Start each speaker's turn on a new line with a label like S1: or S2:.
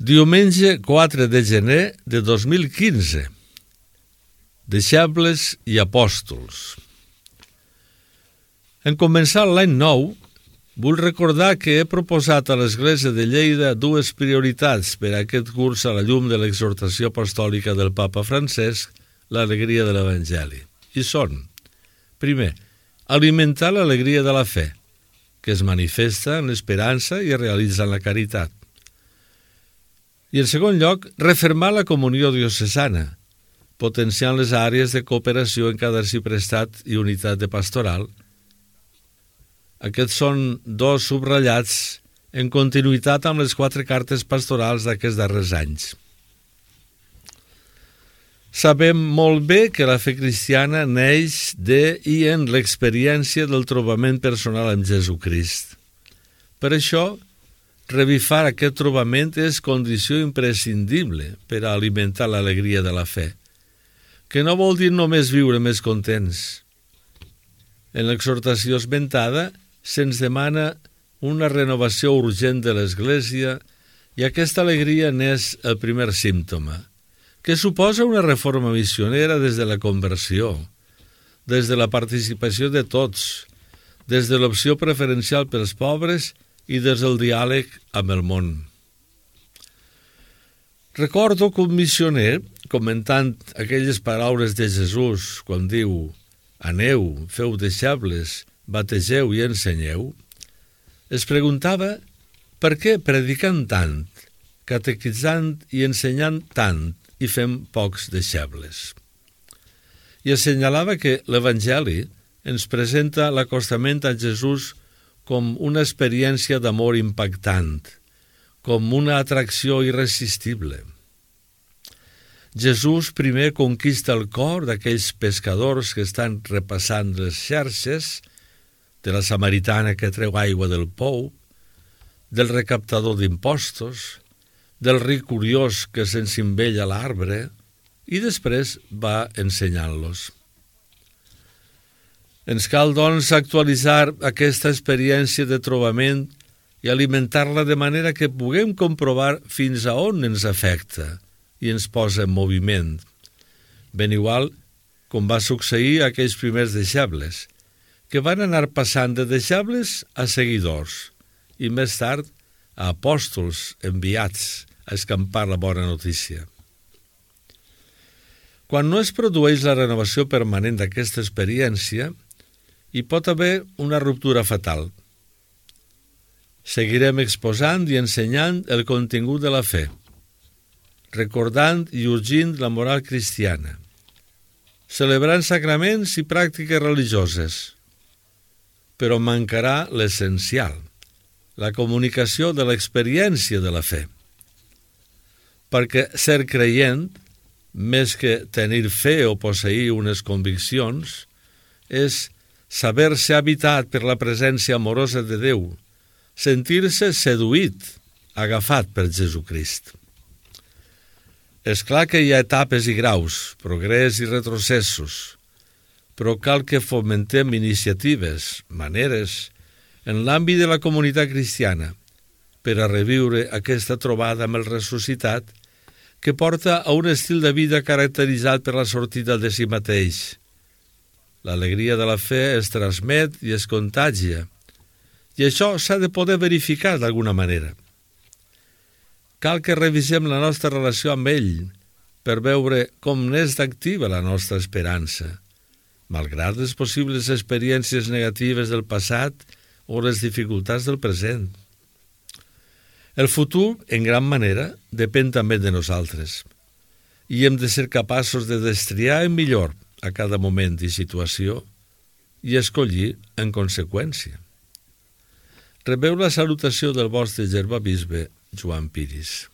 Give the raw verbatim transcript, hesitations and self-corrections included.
S1: Diumenge quatre de gener de dos mil quinze. Deixebles i apòstols. En començar l'any nou, vull recordar que he proposat a l'Església de Lleida dues prioritats per a aquest curs a la llum de l'exhortació apostòlica del Papa Francesc, l'alegria de l'Evangeli. I són, primer, alimentar l'alegria de la fe, que es manifesta en l'esperança i es realitza en la caritat. I en segon lloc, refermar la comunió diocesana, potenciant les àrees de cooperació en cada arxiprestat i unitat de pastoral. Aquests són dos subratllats en continuïtat amb les quatre cartes pastorals d'aquests darrers anys. Sabem molt bé que la fe cristiana neix de i en l'experiència del trobament personal amb Jesucrist. Per això, revifar aquest trobament és condició imprescindible per a alimentar l'alegria de la fe, que no vol dir només viure més contents. En l'exhortació esmentada se'ns demana una renovació urgent de l'Església i aquesta alegria n'és el primer símptoma, que suposa una reforma missionera des de la conversió, des de la participació de tots, des de l'opció preferencial pels pobres i des del diàleg amb el món. Recordo que un missioner, comentant aquelles paraules de Jesús quan diu «Aneu, feu deixebles, bategeu i ensenyeu», es preguntava per què predicant tant, catequitzant i ensenyant tant i fem pocs deixebles. I assenyalava que l'Evangeli ens presenta l'acostament a Jesús com una experiència d'amor impactant, com una atracció irresistible. Jesús primer conquista el cor d'aquells pescadors que estan repassant les xarxes, de la samaritana que treu aigua del pou, del recaptador d'impostos, del ric curiós que s'encimbella a l'arbre, i després va ensenyant-los. Ens cal, doncs, actualitzar aquesta experiència de trobament i alimentar-la de manera que puguem comprovar fins a on ens afecta i ens posa en moviment, ben igual com va succeir a aquells primers deixebles, que van anar passant de deixebles a seguidors i més tard a apòstols enviats a escampar la bona notícia. Quan no es produeix la renovació permanent d'aquesta experiència, hi pot haver una ruptura fatal. Seguirem exposant i ensenyant el contingut de la fe, recordant i urgint la moral cristiana, celebrant sacraments i pràctiques religioses, però mancarà l'essencial, la comunicació de l'experiència de la fe. Perquè ser creient, més que tenir fe o posseir unes conviccions, és saber-se habitat per la presència amorosa de Déu, sentir-se seduït, agafat per Jesucrist. És clar que hi ha etapes i graus, progrés i retrocessos, però cal que fomentem iniciatives, maneres, en l'àmbit de la comunitat cristiana, per a reviure aquesta trobada amb el ressuscitat que porta a un estil de vida caracteritzat per la sortida de si mateix. L'alegria de la fe es transmet i es contagia, i això s'ha de poder verificar d'alguna manera. Cal que revisem la nostra relació amb ell per veure com n'és d'activa la nostra esperança, malgrat les possibles experiències negatives del passat o les dificultats del present. El futur, en gran manera, depèn també de nosaltres, i hem de ser capaços de destriar en millor a cada moment i situació i escollir en conseqüència. Rebeu la salutació del vostre germà bisbe Joan Piris.